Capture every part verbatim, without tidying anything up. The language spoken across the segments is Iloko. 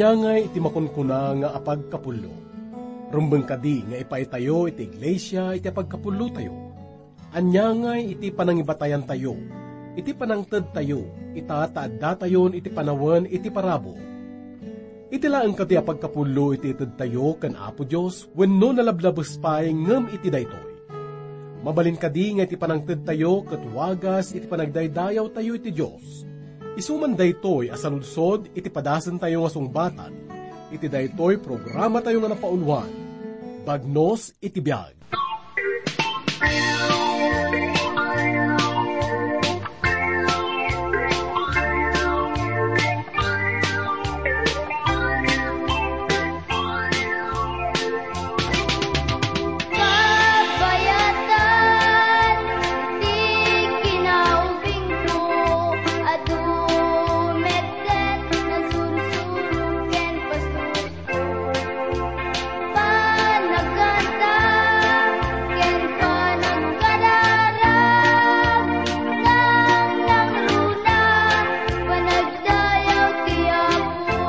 Ania ngay iti makunkuna nga apagkapullo? Rumbeng kadi nga ipaitayo iti iglesia iti apagkapullotayo? Ania ngay iti panangibatayantayo, iti panangtedtayo, ita ta addatayon iti panawen iti parabur? Iti laeng kadi a pagkapullo iti itedtayo ken Apo Dios wenno nalablabes pay ngem iti daytoy? Mabalin kadi nga iti panangtedtayo ket wagas iti panagdaydayawtayo iti Dios? Isu man daytoy a saludsod iti padasentayo nga sungbatan iti daytoy programatayo nga napauluan, Bagnos iti Biag. Kabayatan ti kinaubingko, adu met ket nasursuro ken pasurko. Panagkanta ken panagkararag, nangnangruna, panagdayaw ti Apo.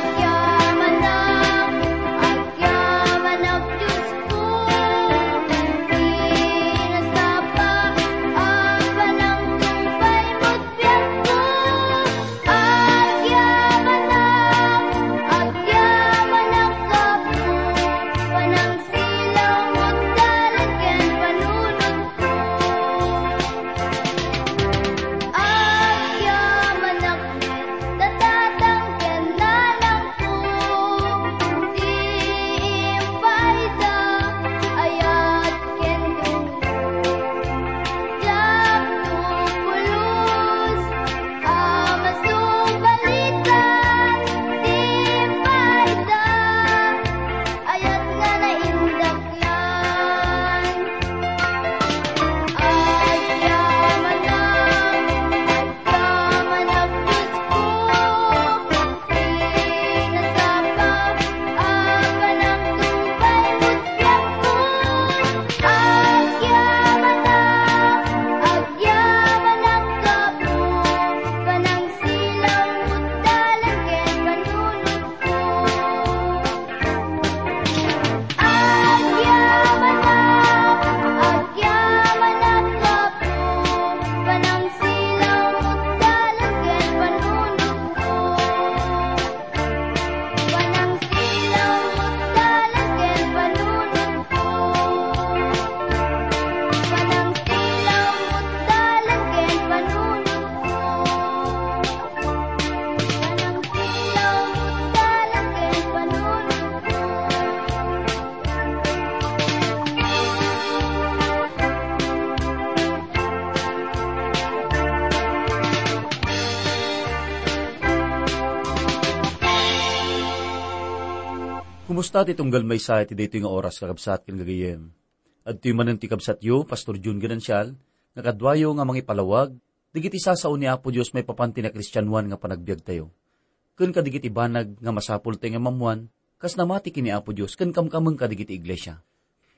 Agyamanak, agyamanak, Diosko, ti nasapa a panangtungpal met biagko. Agyamanak, agyamanak, Apo, panangsilaw met dalan ken panunotko. Agyamanak met, Tatang ken Nanangko, ti impaayda, ayat ken dumo. Diak to pulos a masubalitan ti impaayda, ayat nga naindaklan. Agyamanak, agyamanak, Diosko, ti nasapa a panangtungpal met biagko. Agyamanak, agyamanak, Apo, panangsilaw met dalan ken panunotko. Agyamanak, agyamanak, Apo, panangsilaw met dalan ken panunotko. Panangsilaw met dalan ken panunotko. Panangsilaw met dalan ken panunotko. Panangsilaw met dalan ken panunotko. Kumusta ti tunggal maysa iti daytoy nga oras, kakabsat ken gagayyem? Adtoy manen ti kabsatyo, Pastor Jun Ganancial, nga kaduayo nga mangipalawag dagiti sasao ni Apo Dios maipapan ti nakristianoan nga panagbiagtayo, ken kadagiti banag nga masapultayo nga maammoan kas namati ken ni Apo Dios ken kamkameng kadagiti iglesia.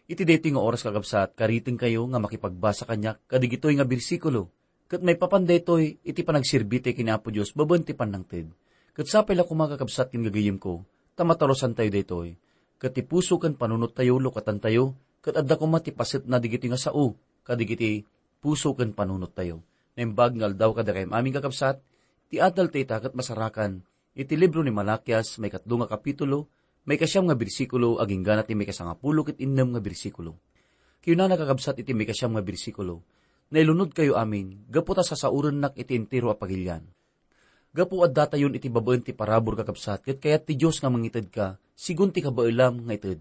Iti daytoy nga oras, kakabsat, karitengkayo nga makipagbasa kaniak kadagitoy nga bersikulo, ket maipapan daytoy iti panagserbitayo ken ni Apo Dios babaen ti pannangted. Ket sapay la koma, kakabsat ken gagayyemko, ta matarusantayo daytoy. Ket ti puso ken panunottayo, lukatantayo, ket adda koma ti pasetna dagitoy nga sao kadagiti puso ken panunottayo. Naimbag nga aldaw kadakayo amin, kakabsat, ti adal ta ita ket masarakan iti libro ni Malakias, maikatlo nga kapitulo, maikasiam nga bersikulo, agingga na ti maikasangapulo ket innem nga bersikulo. Kinunana, kakabsat, iti maikasiam nga bersikulo, "Nailunodkayo amin, gapu ta sasaorennak iti entero a pagilian." Gapu addatayon iti babaen ti parabur, kakabsat, ket kayat ti Dios nga mangitedka sigun ti kabaelam nga ited.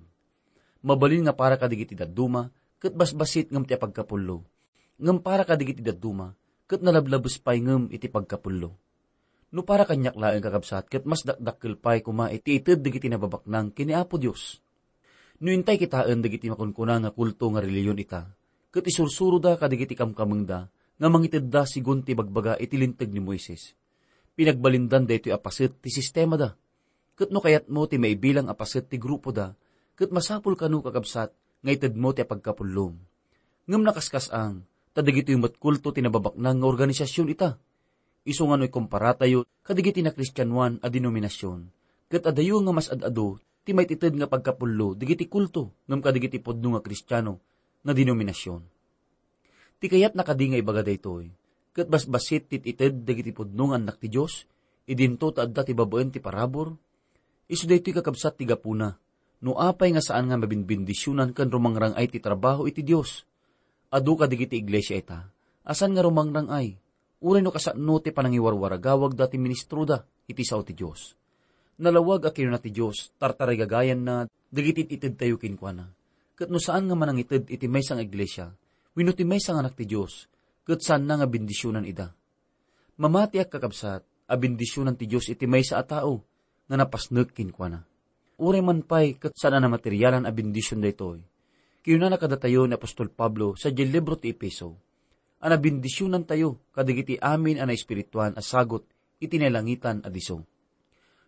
Mabalin nga para kadagiti dadduma, ket basbasit ngem ti apagkapullo. Ngem para kadagiti dadduma, ket nalablabes pay ngem iti pagkapullo. No para kaniak laeng, kakabsat, ket mas dakdakkel pay koma iti ited dagiti nababaknang ken ni Apo Dios. No intay kitaen dagiti makunkuna nga kulto nga relihiyon ita, ket isursuroda kadagiti kamkamengda nga mangitedda sigun ti ibagbaga iti Linteg ni Moises. Pinagbalindan daytoy a paset ti sistemada. Ket no kayatmo ti maibilang a paset ti grupoda, ket masapul kano, kakabsat, nga itedmo ti apagkapullom. Ngem nakaskas-ang, ta dagitoy met kulto ti nababaknang nga organisasion ita. isu nga no ikomparatayo kadagiti nakristianoan a denominasion, ket adayo nga mas ad-adu ti maitited nga pagkapullo dagiti kulto ngem kadagiti pudno nga Kristiano nga denominasion. Ti kayatna kadi nga ibaga daytoy, ket basbassit ti ited dagiti pudno nga annak ti Dios, idinto ta adda ti babaen ti parabur? Isu daytoy, kakabsat, ti gapuna no apay nga saan nga mabinbendisionan ken rumangrang-ay ti trabaho iti Dios. Adu kadagiti iglesia ita a saan nga rumangrang-ay, uray no kasano ti panangiwarwaragawagda ti ministroda iti sao ti Dios. Nalawag a kinuna ti Dios, tartarigagayanna dagiti itedtayo kenkuana. Ket no saan nga manangited iti maysa nga iglesia, wenno ti maysa nga anak ti Dios, ket saanna nga bendisionan ida. Mamatiak, kakabsat, a bendisionan ti Dios iti maysa a tao nga napasnek kenkuana. Uray man pay ket saan a namaterialan a bendision daytoy, kinunana kadatayo ni apostol Pablo sadiay libro ti Efeso, a nabendisionantayo kadagiti amin a naespirituan a sagut iti nailangitan a disso.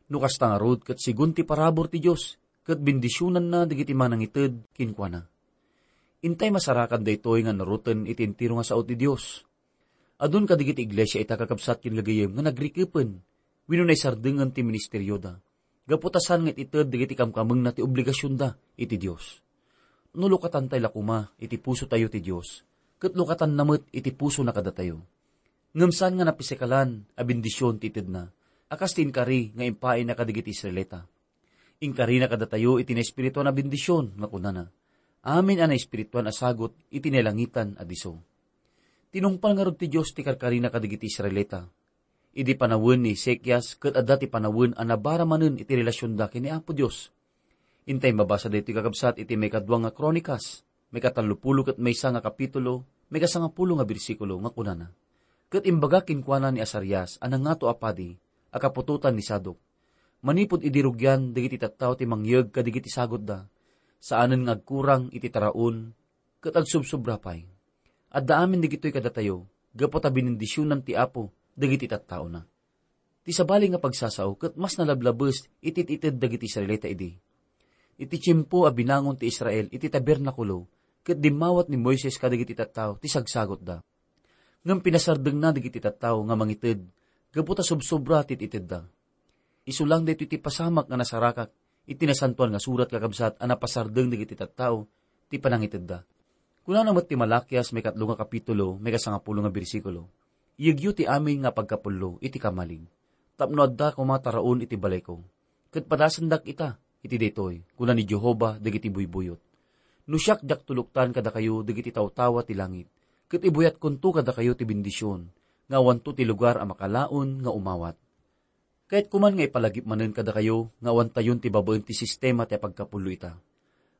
No kasta ngarud, ket segun ti parabur ti Dios, ket bendisionanna dagiti manangited kenkuana. Intay masarakan daytoy nga naruten iti entero nga sao ti Dios. Adun kadagiti iglesia ita, kakabsat ken gagayyem, nga nagrikepen wenno naisardengen ti ministerioda, gapu ta saan nga it-ited dagiti kamkamengna ti obligasionda iti Dios. No lukatantay la koma iti pusotayo ti Dios, ket lukatanna met iti pusona kadatayo. Ngem saan nga napisikalan a bendision ti itedna, a kas ti inkari nga impaayna kadagiti Israelita. Inkarina kadatayo iti naespirituan a bendision nga kunana, "Amin a naespirituan a sagut iti nailangitan a disso." Tinungpal ngarud ti Dios ti karkarina kadagiti Israelita idi panawen ni Ezekias, ket adda ti panawen a nabara manen iti relasionda ken ni Apo Dios. Intay mabasa daytoy, kakabsat, iti maikadua nga Kronikas, maikatallopulo ket maysa nga kapitulo, maikasangapulo nga bersikulo, nga kunana, "Ket imbaga kenkuana ni Asarias a nangato a padi a kaputotan ni Sadok, manipud idi rugian dagiti tattao ti mangyeg kadagiti sagutda, saanen nga agkurang iti taraon ket agsobsobra pay. Adda amin dagitoy kadatayo gapu ta binendisionan ti Apo dagiti tattaona." Ti sabali nga pagsasao ket mas nalablabes iti it-ited dagiti Israelita idi. Iti tiempo a binangon ti Israel iti tabernakulo ket dimmawat ni Moises kadagiti tattao ti sagsagutda. Ngem pinasardengna dagiti tattao nga mangited gapu ta sobsobra ti it-itedda. Isu lang daytoy ti pasamak nga nasarakak iti Nasantoan nga Surat, kakabsat, a napasardeng dagiti tattao ti panangitedda. Kunana met ti Malakias, maikatlo nga kapitulo, maikasangapulo nga bersikulo, "Iyegyo ti amin nga pagkapullo iti kamalig, tapno adda koma taraon iti balayko, ket padasendak ita iti daytoy," kuna ni Jehovah dagiti buybuyot. "No siak, diak tuloktan kadakayo dagiti tawtawa ti langit, ket ibuyatkonto kadakayo ti bendision nga awanto ti lugar a makalaon nga umawat." Kayatko man nga ipalagip manen kadakayo nga awantayon ti babaen ti sistema ti apagkapullo ita.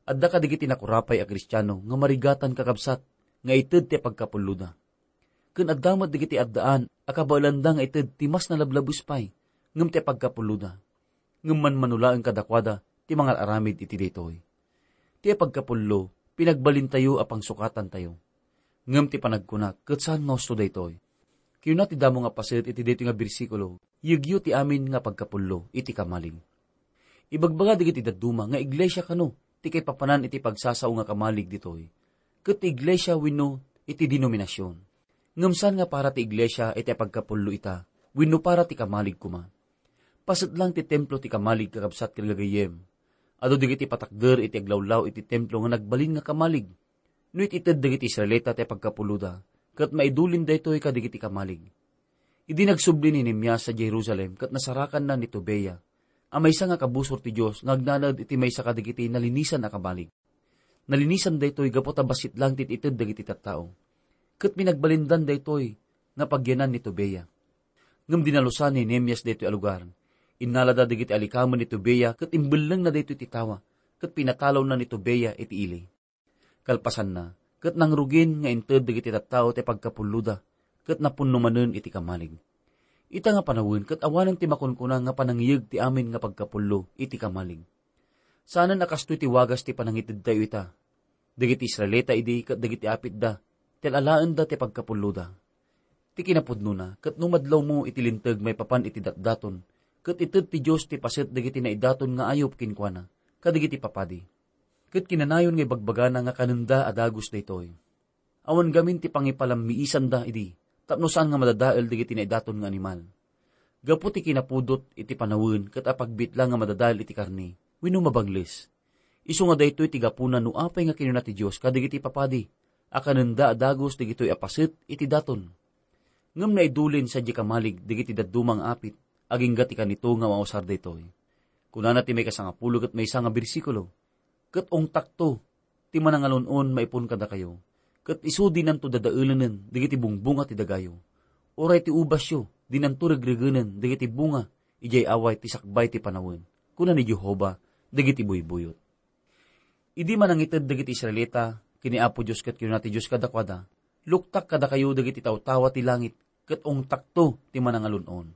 Adda kadagiti nakurapay a Kristiano nga marigatan, kakabsat, nga ited ti apagkapulloda. Ken adda met dagiti addaan a kabaelanda nga ited ti mas nalablabes pay ngem ti apagkapulloda. Ngem manmano laeng kadakuada ti mangar-aramid iti daytoy. Ti apagkapullo, pinagbalintayo a pangsukatantayo. Ngem ti panagkuna ket saan nga husto daytoy. Kinuna ti damo nga paset iti daytoy nga bersikulo, "Iyegyo ti amin nga pagkapullo iti kamalig." Ibagbaga dagiti dadduma nga iglesia kano ti kaipapanan iti pagsasao nga kamalig ditoy, ket ti iglesia wenno iti denominasion. Ngem saan nga para ti iglesia iti apagkapullo ita wenno para ti kamalig koma. Paset lang ti templo ti kamalig, kakabsat ken gagayyem. Adu dagiti patakder iti aglawlaw iti templo nga nagbalin nga kamalig. No it-ited dagiti Israelita ti apagkapulloda, ket maidulin daytoy kadagiti kamalig. Idi nagsubli ni Nehemias sadiay Jerusalem ket nasarakanna ni Tobia, a maysa nga kabusor ti Dios nga agnanaed iti maysa kadagiti nalinisan a kamalig. Nalinisan daytoy gapu ta bassit lang ti it-ited dagiti tattao. Ket pinagbalindan daytoy nga pagyanan ni Tobia. Ngem dinalusan ni Nehemias daytoy a lugar. Innalada dagiti alikamen ni Tobia ket imbellengna daytoy ti tawa, ket pinatalawna ni Tobia iti ili. Kalpasanna, ket nangrugin nga inted dagiti tattao ti pagkapulloda, ket napunno manen iti kamalig. Ita nga panawen ket awanen ti makunkuna nga panangiyeg ti amin nga pagkapullo iti kamalig. Saanen a kastoy ti wagas ti panangitedtayo ita. Dagiti Israelita idi ket dagiti apitda, ti al-alaenda ti pagkapulloda. Ti kinapudnona, ket no madlawmo iti linteg maipapan iti datdaton, ket ited ti Dios ti paset dagiti naidaton nga ayup kenkuana, kadagiti papadi. Ket kinanayon nga ibagbagana nga kanenda a dagus daytoy. Awan gamin ti pangipalammiisanda idi, tapno saan nga madadael dagiti naidaton nga animal. Gapu ti kinapudot iti panawen ket apagbit la nga madadael iti karne wenno mabangles. Isu nga daytoy ti gapuna no apay nga kinuna ti Dios kadagiti papadi a kanenda a dagus dagitoy a paset iti daton. Ngem naidulin sadiay kamalig dagiti dadduma nga apit, agingga ti kanito nga mausar daytoy. Kunana ti maikasangapulo ket maysa nga bersikulo, "Ket ungtakto ti manangalun-on maipuon kadakayo, ket isu dinanto dadaelenen dagiti bungbunga ti dagayo, uray ti ubasyo dinanto regregenen dagiti bunga idiay away ti sakbay ti panawen," kuna ni Jehovah dagiti buybuyot. Idi manangited dagiti Israelita ken ni Apo Dios ket kinuna ti Dios kadakuada, "Luktak kadakayo dagiti tawtawa ti langit, ket ungtakto ti manangalun-on."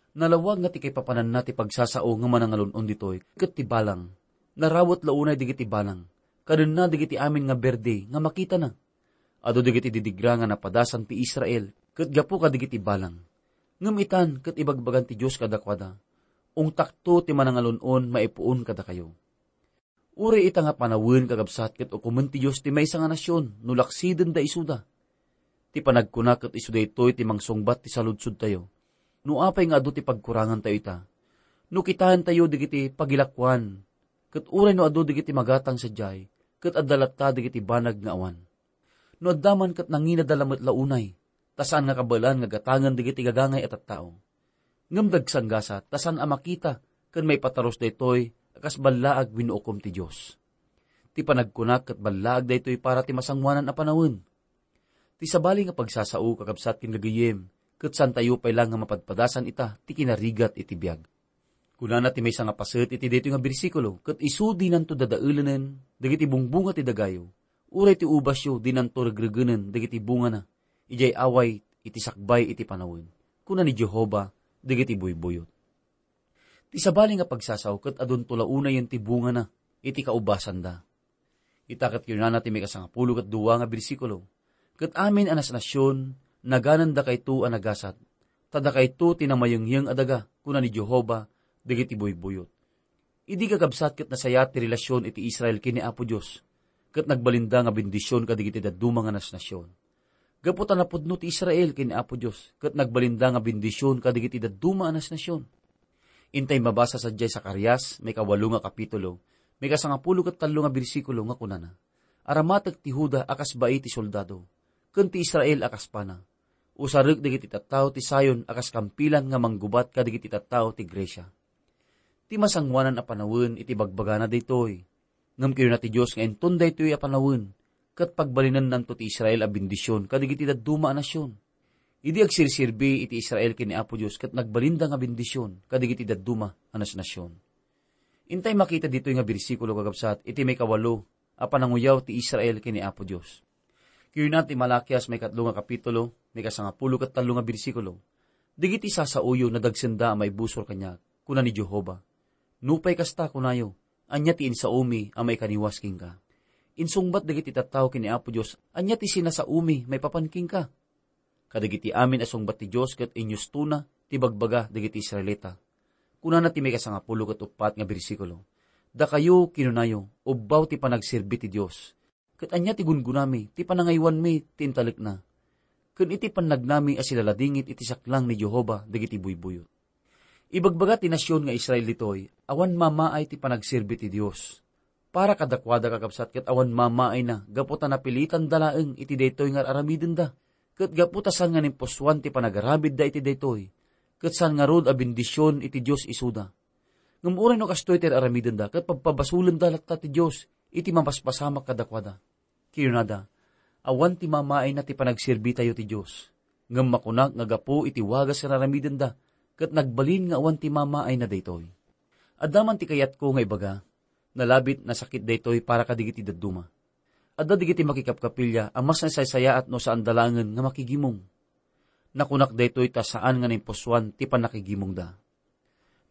Nalawag nga ti kaipapananna ti pagsasao nga manangalun-on ditoy ket ti balang. Narawet la unay dagiti balang, kadenna dagiti amin nga berde nga makitana. Adu dagiti didigra nga napadasan ti Israel ket gapu kadagiti balang. Ngem itan ket ibagbagan ti Dios kadakuada, "Ungtakto ti manangalun-on maipuon kadakayo." Uray ita nga panawen, kakabsat, ket ukomen ti Dios ti maysa nga nasion no laksidenda isuda. Ti panagkuna ket isu daytoy ti mangsungbat ti saludsodtayo. No apay nga adu ti pagkurangantayo ita? No kitaentayo dagiti pagilakuan, ket uray no adu dagiti magatang sadiay, ket adda latta dagiti banag nga awan. No adda man ket nanginada la met la unay, ta saan nga kabaelan nga gatangen dagiti gagangay a tattao. Ngem dagsanggasat, ta saan a makita ken maipatarus daytoy a kas ballaag wenno ukom ti Dios. Ti panagkuna ket ballaag daytoy para ti masangoanan a panawen. Ti sabali nga pagsasao, kakabsat ken gagayyem, ket saantayo pay la nga mapadpadasan ita ti kinarigat iti biag. Kunana ti maysa nga paset iti daytoy nga bersikulo, "Ket isu dinanto dadaelenen dagiti bungbunga ti dagayo, uray ti ubasyo dinanto regregenen dagiti bungana, idiay away iti sakbay iti panawen," kuna ni Jehovah dagiti buybuyot. Ti sabali nga pagsasao ket adunto la unayen ti bungana iti kaubasanda. Ita ket kinunana ti maikasangapulo ket dua nga bersikulo, "Ket amin a nasnasion, naganendakayto a nagasat, ta dakayto ti namayengngeng a daga," kuna ni Jehovah dagiti buybuyot. Idi kakabsat ket nasayaat ti relasion iti Israel ken ni Apo Dios, ket nagbalinda nga bendision kadagiti dadduma nga nasnasion. Gapu ta napudno ti Israel ken ni Apo Dios, ket nagbalinda nga bendision kadagiti dadduma a nasnasion. Intay mabasa sadiay Zacarias, maikawalo nga kapitulo, maikasangapulo ket tallo nga bersikulo nga kunana, "Aramatek ti Juda a kas bai ti soldado, ken ti Israel a kas pana. Usarek dagiti tattao ti Sion a kas kampilan nga manggubat kadagiti tattao ti Grecia." Ti masangoanan a panawen iti bagbagana daytoy. Ngem kinuna ti Dios nga inton daytoy a panawen, ket pagbalinennanto ti Israel a bendision kadagiti dadduma a nasion. Idi agserserbi iti Israel ken ni Apo Dios ket nagbalinda nga bendision kadagiti dadduma a nasnasion. Intay makita ditoy nga bersikulo, kakabsat, iti maikawalo a pananguyaw ti Israel ken ni Apo Dios. Kinuna ti Malakias, maikatlo nga kapitulo, maikasangapulo ket tallo nga bersikulo, "Dagiti sasaoyo nadagsenda a maibusor kaniak," kuna ni Jehovah. Nupay kasta, kunayo, "Ania ti insaomi a maikaniwas kenka?" Insungbat dagiti tattao ken ni Apo Dios, "Ania ti sinasaomi maipapan kenka?" Kadagiti amin a sungbat ti Dios ket inyustona ti bagbaga dagiti Israelita. Kunana ti maikasangapulo ket uppat nga bersikulo, "Dakayo, kinunayo, ubbaw ti panagserbi ti Dios. Ket ania ti gungunami, ti panangaywanmi ti intalekna? Ken iti pannagnami a silaladingit iti saklang ni Jehovah dagiti buybuyot." Ibagbaga ti nasion nga Israel ditoy, awan mamaay ti panagserbi ti Dios. Para kadakuada, kakabsat, ket awan mamaayna gapu ta napilitanda laeng iti daytoy nga ar-aramidenda. Ket gapu ta saan nga naimpusoan ti panagaramidda iti daytoy, ket saan ngarud a bendision iti Dios isuda. Ngem uray no kastoy ti ar-aramidenda, ket pabpabasolenda latta ti Dios iti mapaspasamak kadakuada. Kinunada, "Awan ti mamaayna ti panagserbitayo ti Dios, ngem makunak nga gapu iti wagas nga ar-aramidenda, ket nagbalin nga awan ti mamaayna daytoy." Adda man ti kayatko nga ibaga, nalabit nasakit daytoy para kadagiti dadduma. Adda dagiti makikapkapilya a mas nasaysayaat no saanda laengen nga makigimong. Nakunak daytoy ta saan nga naimpusoan ti pannakigimongda.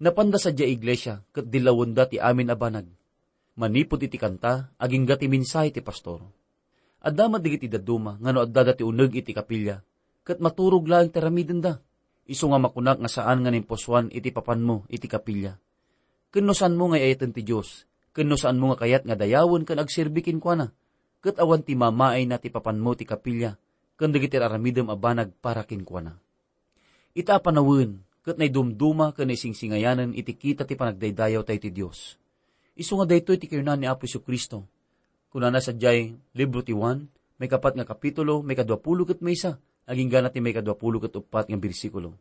Napanda sadiay iglesia ket dillawenda ti amin a banag. Manipud iti kanta, agingga ti mensahe ti pastor. Adda met dagiti dadduma nga no addada ti uneg iti kapilya, ket maturog laeng ti aramidenda. Isu nga makunak nga saan nga naimpusoan iti papanmo iti kapilya. Ken no saanmo nga ay-ayaten ti Dios, ken no saanmo nga kayat nga dayawen ken agserbi kenkuana, ket awan ti mamaayna ti papanmo ti kapilya, ken dagiti ar-aramidem a banag para kenkuana. Ita a panawen ket naidumduma ken naisingsingayanen iti kita ti panagdaydayaw tayo ti Dios. Isu nga daytoy ti kinuna ni Apo Jesu-Cristo. Kunana sadiay libro ti Juan, maikapat nga kapitulo, maikaduapulo ket maysa, agingga na ti maikaduapulo ket uppat nga bersikulo.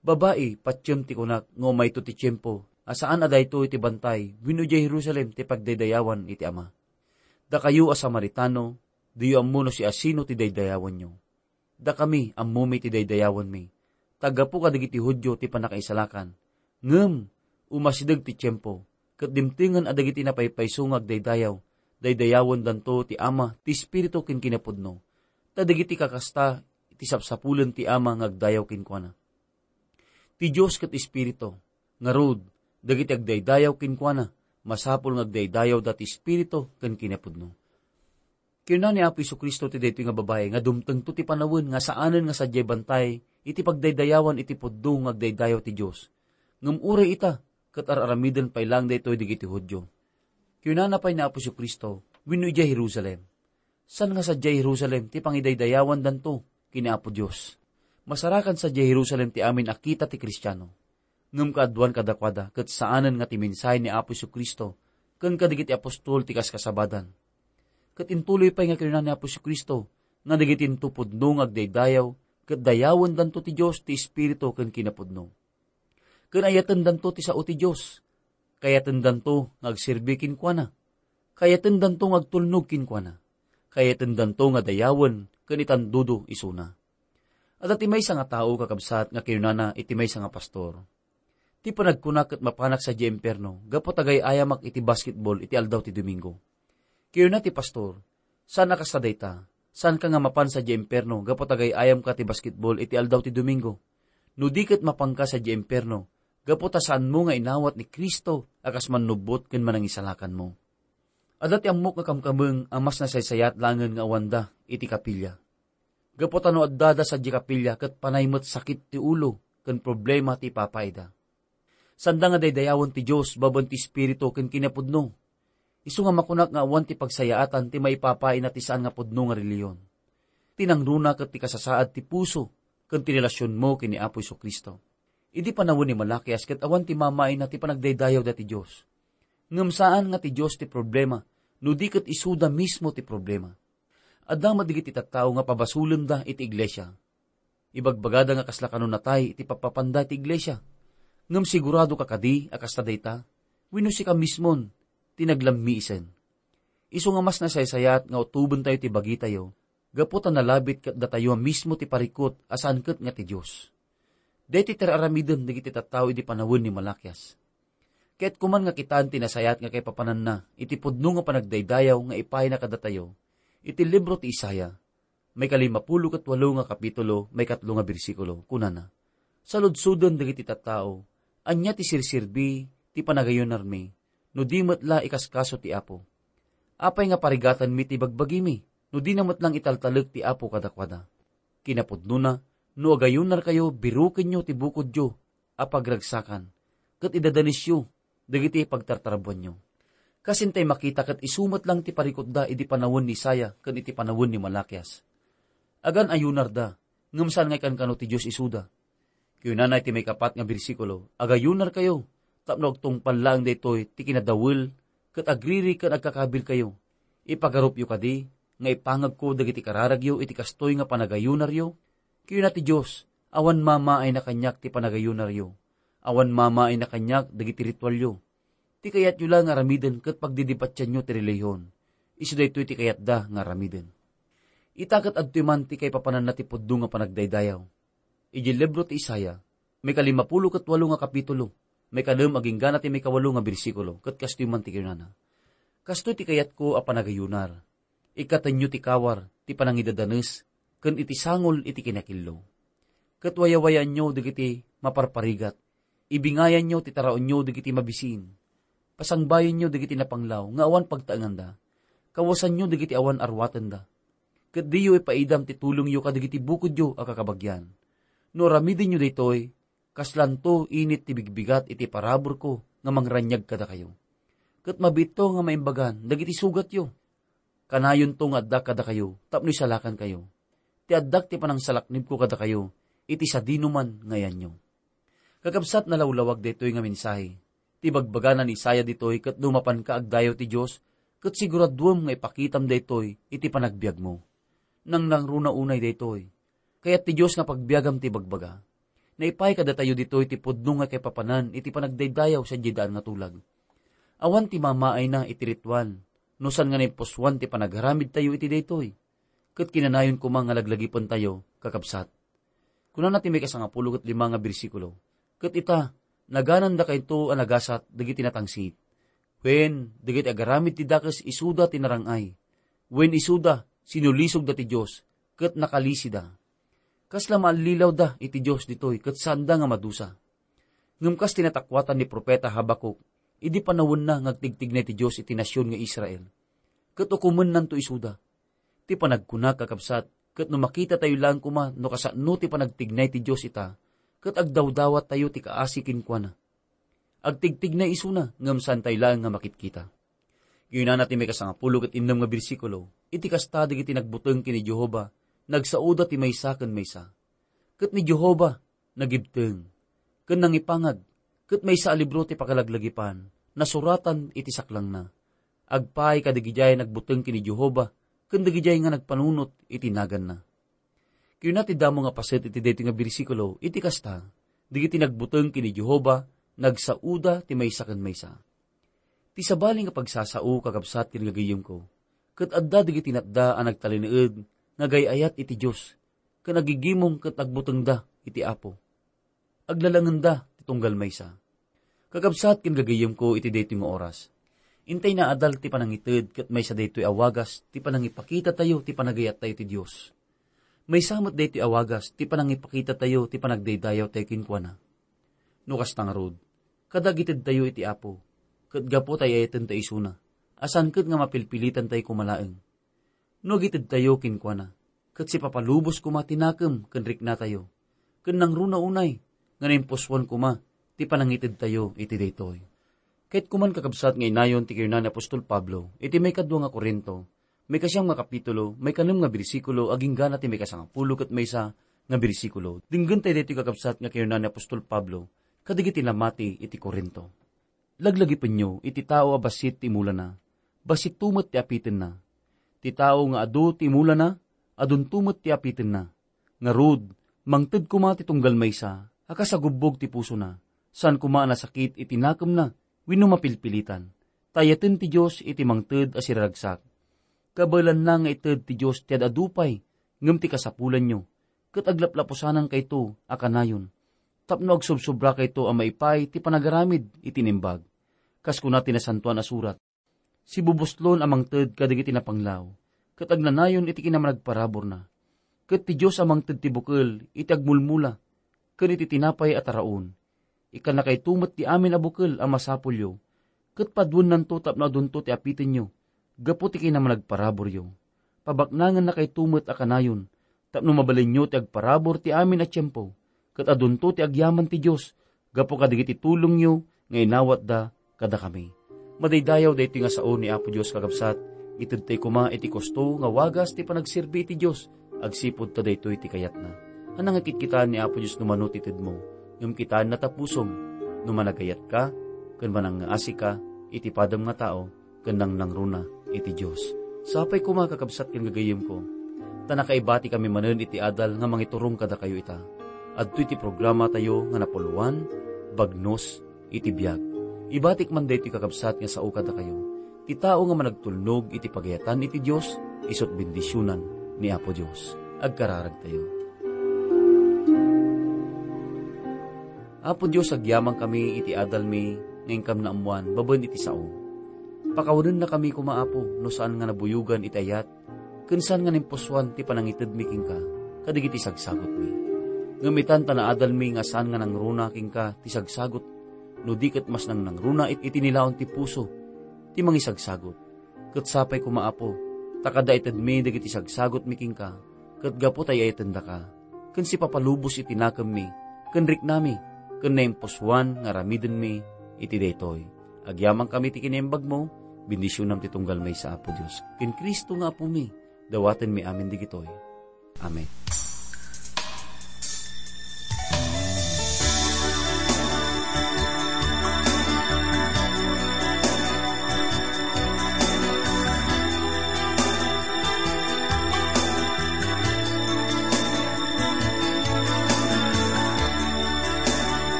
Babai, patiem ti kunak nga umayto ti tiempo a saan a daytoy ti bantay wenno idiay Jerusalem ti pagdaydayawan iti Ama. Dakayo a Samaritano, diyo ammo no siasino ti daydayawanyo. Dakami, ammomi ti daydayawanmi. Ta gapu kadagiti Judio ti pannakaisalakan. Ngem, umasideg ti tiempo, ket dimtengen a dagiti napaypayso nga agdaydayaw, daydayawendanto ti Ama, ti Espiritu ken kinapudno. Ta dagiti kakasta, iti sapsapulen ti Ama nga agdayaw kenkuana. Ti Dios ket Espiritu, ngarud, dagiti agdaydayaw kenkuana, masapul nga agdaydayawda ti Espiritu ken kinapudno. Kinuna ni Apo Jesu-Cristo ti daytoy nga babai nga dumtengto ti panawen nga saanen nga sadiay bantay iti pagdaydayawan iti pudno nga agdaydayaw ti Dios. Ngem uray ita, ket ar-aramiden pay laeng daytoy dagiti Judio. Kinuna pay ni Apo Jesu-Cristo, wenno idiay Jerusalem. Saan nga sadiay Jerusalem ti pangidaydayawandanto ken ni Apo Dios. Masarakan sadiay Jerusalem ti amin a kita ti Kristiano. Ngem kaaduan kadakuada ket saanen nga ti mensahe ni Apo Jesu-Cristo ken kadagiti apostol ti kaskasabadan. Ket intuloy pay nga kinuna ni Apo Jesu-Cristo nga dagiti into pudno nga agdaydayaw ket dayawendanto ti Dios ti Espiritu ken kinapudno. Ken ayatendanto ti sao ti Dios. Kayatendanto nga agserbi kenkuana. Kayatendanto nga agtulnog kenkuana. Kayatendanto nga dayawen ken itandudo isuna. Adda ti maysa nga tao, kakabsat, nga kinunana iti maysa nga pastor, "Ti panagkuna ket mapanak sadiay impierno gapu ta gay-ayamak iti basketball iti aldaw ti Domingo." Kinuna ti pastor, "Saan a kasta dayta. Saanka nga mapan sadiay impierno gapu ta gay-ayamka ti basketball iti aldaw ti Domingo. No di ket mapanka sadiay impierno gapu ta saanmo nga inawat ni Cristo a kas mannubbot ken manangisalakanmo." Adda ti ammok nga kamkameng a mas nasaysayat laengen nga awanda iti kapilya. Gapu ta no addada sadiay kapilya ket panay met sakit ti ulo ken problema ti ipapaida. Sanda nga daydayawen ti Dios babaen ti Espiritu ken kinapudno. Isu nga makunak nga awan ti pagsayaatan ti maipapaina ti saan nga pudno nga relihiyon. Ti nangruna ket ti kasasaad ti puso ken ti relasionmo ken ni Apo Jesu-Cristo. Idi panawen ni Malakias ket awan ti mamaina ti panagdaydayawda ti Dios. Ngem saan nga ti Dios ti problema, no di ket isuda mismo ti problema. Adda met dagiti tattao nga pabasolenda iti iglesia. Ibagbagada nga kasla kano natay iti pappapanda iti iglesia. Ngem siguradoka kadi a kasta dayta? Wenno sika mismon ti naglammiisen? Isu nga mas nasaysayat nga utobentayo ti bagitayo gapu ta nalabit ket datayo a mismo ti parikut a saan ket nga ti Dios. Daytoy ti ar-aramiden dagiti tattao idi panawen ni Malakias. Ket koman nga kitaan ti nasayaat nga kaipapananna iti pudno nga panagdaydayaw nga ipayna kadatayo iti libro ti Isaiah, maikalimapulo ket walo nga kapitulo, maikatlo nga bersikulo, kunana, "Saludsoden dagiti tattao, ania ti serserbi ti panagayunarmi, no di met la ikaskaso ti Apo? Apay nga parigatanmi ti bagbagimi, no dina met lang italtalek ti Apo kadakuada? Kinapudnona, no agayunarkayo, birukenyo ti bukodyo a pagragsakan, ket idadanesyo dagiti pagtartarabuanyo." Kasintay makita ket isu met lang ti parikutda idi panawen ni Isaiah ken iti panawen ni Malakias. Agan-ayunarda, ngem saan nga ikankano ti Dios isuda. Kinunana iti maikapat nga bersikulo, "Agayunarkayo, tapno agtungpal laeng daytoy ti kinadawel ket agriri ken agkakabirkayo. Ipagarupyo kadi nga ipangagko dagiti kararagyo iti kastoy nga panagayunaryo?" Kinuna ti Dios, "Awan mamaayna kaniak ti panagayunaryo. Awan mamaayna kaniak dagiti ritualyo. Ti kayatyo la nga aramiden ket pagdidipatianyo ti relihiyon. Isu daytoy ti kayatda nga aramiden." Ita ket adtoy man ti kaipapananna ti pudno nga panagdaydayaw. Idiay libro ti Isaiah, maikalimapulo ket walo nga kapitulo, maikanem agingga na ti maikawalo nga bersikulo, ket kastoy man ti kinunana, "Kastoy ti kayatko a panagayunar. Ikkatenyo ti kawar ti panangidadanes ken iti sangol iti kinakillo. Ket wayawayaanyo dagiti maparparigat, ibingayanyo ti taraonyo dagiti mabisin. Pasangbayenyo dagiti napanglaw nga awan pagtaenganda. Kawasanyo dagiti awan aruatenda. Ket diyo ipaidam ti tulongyo kadagiti bukodyo a kakabagian. No aramidenyo daytoy, kaslanto init ti bigbigat iti paraburko nga mangraniag kadakayo. Ket mabiitto nga maimbagan dagiti sugatyo. Kanayonto nga adda kadakayo tapno isalakankayo. ti addak ti panangsalaknibko kadakayo iti sadinoman nga ayanyo. Kakabsat, nalawlawag daytoy nga mensahe. Ti bagbagana ni Isaiah ditoy ket no mapanka agdayaw ti Dios, ket siguraduem nga ipakitam daytoy iti panagbiagmo. Nangnangruna unay daytoy. Kayat ti Dios nga pagbiagam ti bagbaga. Naipay kadatayo ditoy ti pudno nga kaipapanan iti panagdaydayaw sadiay daan nga tulag. Awan ti mamaayna iti ritual, no saan nga naimpusoan ti panagaramidtayo iti daytoy. Ket kinanayon koma nga laglagipentayo, kakabsat. Kunana ti maikasangapulo ket lima nga bersikulo, "Ket ita, naganandakayto a nagasat dagiti natangsit, wen dagiti agaramid ti dakes isuda ti narang-ay, wen isuda sinulisogda ti Dios, ket nakalisida." Kasla maallilawda iti Dios ditoy ket saanda nga madusa. Ngem kas ti natakuatan ni profeta Habacuc, idi panawenna nga agtigtignay ti Dios iti nasion nga Israel, ket ukomennanto isuda. Ti panagkuna, kakabsat, ket no makitatayo laeng koma no kasano ti panagtignay ti Dios ita, ket agdawdawattayo ti kaasi kenkuana. Agtigtignay isuna, ngem saantayo laeng nga makitkita. Kinunana ti maikasangapulo ket innem nga bersikulo, "Iti kasta, dagiti nagbuteng ken ni Jehovah, nagsaoda ti maysa ken maysa. Ket ni Jehovah, nagibteng, ken nangipangag, ket maysa a libro ti pakalaglagipan, nasuratan iti saklangna. Agpaay kadagidiay nagbuteng ken ni Jehovah, ken dagidiay nga nagpanunot iti naganna." Kinuna ti damo nga paset iti daytoy nga bersikulo, "Iti kasta, dagiti nagbuteng ken ni Jehovah, nagsaoda ti maysa ken maysa." Ti sabali nga pagsasao, kakabsat ken gagayyemko, ket adda dagiti natda a nagtalinaed nga agay-ayat iti Dios, ken agigimong ket agbutengda iti Apo. Aglalangenda ti tunggal maysa. Kakabsat ken gagayyemko iti daytoy nga oras, intay naadal ti panangited ket maysa daytoy a wagas ti panangipakitatayo ti panagayattayo ti Dios. Maysa met daytoy a wagas ti panangipakitatayo ti panagdaydayawtayo kenkuana. No kasta ngarud, kada agitedtayo iti Apo, ket gapu ta ay-ayatenta isuna, a saan ket nga mapilpilitantayo koma laeng. No agitedtayo kenkuana, ket sipapalubos koma ti nakem ken riknatayo, ken nangruna unay nga naimpusoan koma ti panangitedtayo iti daytoy. Ket kuman, kakabsat, nga inayon ti kinuna ni apostol Pablo iti maikadua nga Corinto, maikasiam nga kapitulo, maikanem nga bersikulo, agingga na ti maikasangapulo ket maysa nga bersikulo. Denggentayo daytoy, kakabsat, nga kinuna ni apostol Pablo kadagiti namati iti Corinto. Laglagipenyo iti tao a bassit ti imulana, bassitto met ti apitenna. Ti tao nga adu ti imulana, adunto met ti apitenna. Ngarud, mangted koma ti tunggal maysa a kas agubbog ti pusona, saan koma a nasakit iti nakemna wenno mapilpilitan. Ta ayaten ti Dios iti mangted a siraragsak. Kabaelanna nga ited ti Dios ti ad-adu pay, ngem ti kasapulanyo, ket aglaplapusanan kayto a kanayon, tapno agsubsobra kayto a maipaay ti panagaramid iti naimbag. Kas kuna ti Nasantoan a Surat, "Sibubuslon a mangted kadagiti napanglaw, ket agnanayon iti kinamanagparaburna. Ket ti Dios a mangted ti bukel iti agmulmula ken iti tinapay a taraon. Ikkannakayto met ti amin a bukel a masapulyo, ket paduennanto tapno adunto ti apitenyo gapu ti kinamanagparaburyo. Pabaknangennakayto met a kanayon tapno mabalinyo ti agparabur ti amin a tiempo, ket adunto ti agyaman ti Dios gapu kadagiti tulongyo nga inawatda kadakami." Madaydayaw daytoy nga sao ni Apo Dios, kakabsat. Itedtay koma iti kusto nga wagas ti panagserbi iti Dios agsipud ta daytoy ti kayatna. Ania nga kitkitaen ni Apo Dios no mano ti tedmo, ngem kitaenna ta pusom no managayatka ken manangngaasika iti padam nga tao ken nangnangruna iti Dios. Sapay koma, kakabsat ken gagayyemko, ta nakaibatikami manen iti adal nga mangiturong kadakayo ita. Adtoy ti programatayo nga napuloan, Bagnos iti Biag. Ibatik man daytoy, kakabsat, nga sao kadakayo. Ti tao nga managtulnog iti pagayatan iti Dios, isut' bendisionan ni Apo Dios. Agkararagtayo. Apo Dios, agyamankami iti adalmi nga inkam naammoan babaen iti sao. Pakawanennakami koma, Apo, no saan nga nabuyogan iti ayat, ken saan nga naimpusoan ti panangitedmi kenka kadagiti sagsagutmi. Ngem itan ta naadalmi nga saan nga nangruna kenka ti sagsagut, no di ket mas nangnangruna it-, iti nilaon ti puso ti mangisagsagut. Ket sapay koma, Apo, ta kada itedmi dagiti sagsagutmi kenka, ket gapu ta ay-ayatendaka, ken sipapalubos iti nakemmi, ken riknami, ken naimpusoan nga aramidenmi iti daytoy. Agyamankami ti kinaimbagmo, bendisionam ti tunggal maysa, Apo Dios. Ken Cristo nga Apomi, dawatenmi amin digitoy. Amen.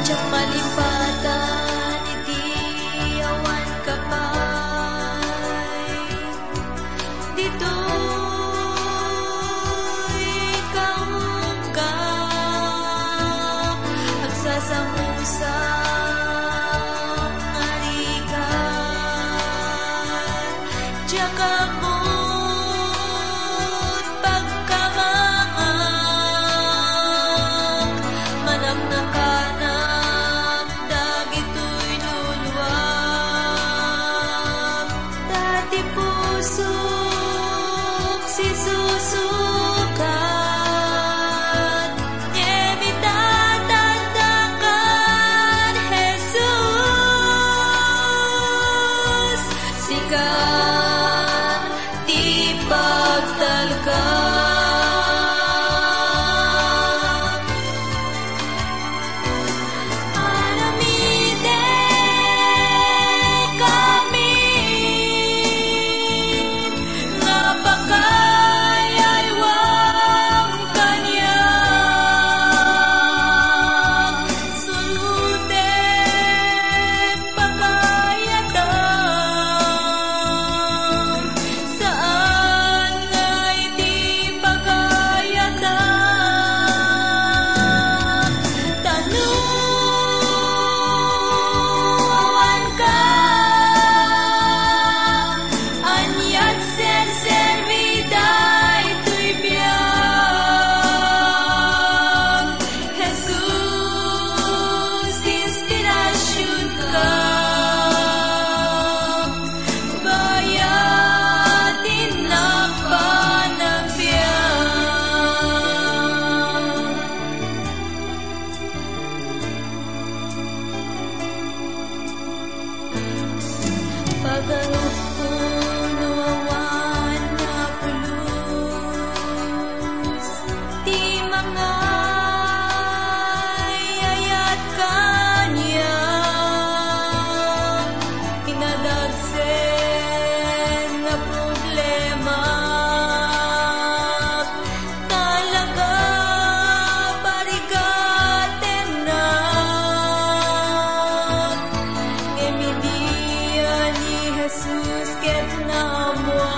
Diak malimpatan iti awan ka pay. Ditoy kaunga, agsasamusak nga rigat. Diak ammon pagkamangak, manaknakanak dagitoy luluam. Ta ti pusok sisusukat, ngem itatadda kan Jesus. Sika ti pagtalka. Aramidek amin nga pakayaywam kaniak. Surotek pakayatam, saan nga iti pakayatam. Ta no awan ka, aniat serserbi daytoy biag? Jesus, inspirasionka, bayat innak panagbiag. Pagarupko no awan nga pulos ti mangayayat kaniak. Inadagsen nga problema, talaga parigatennak. Ngem idi ni Jesus ket naammoak,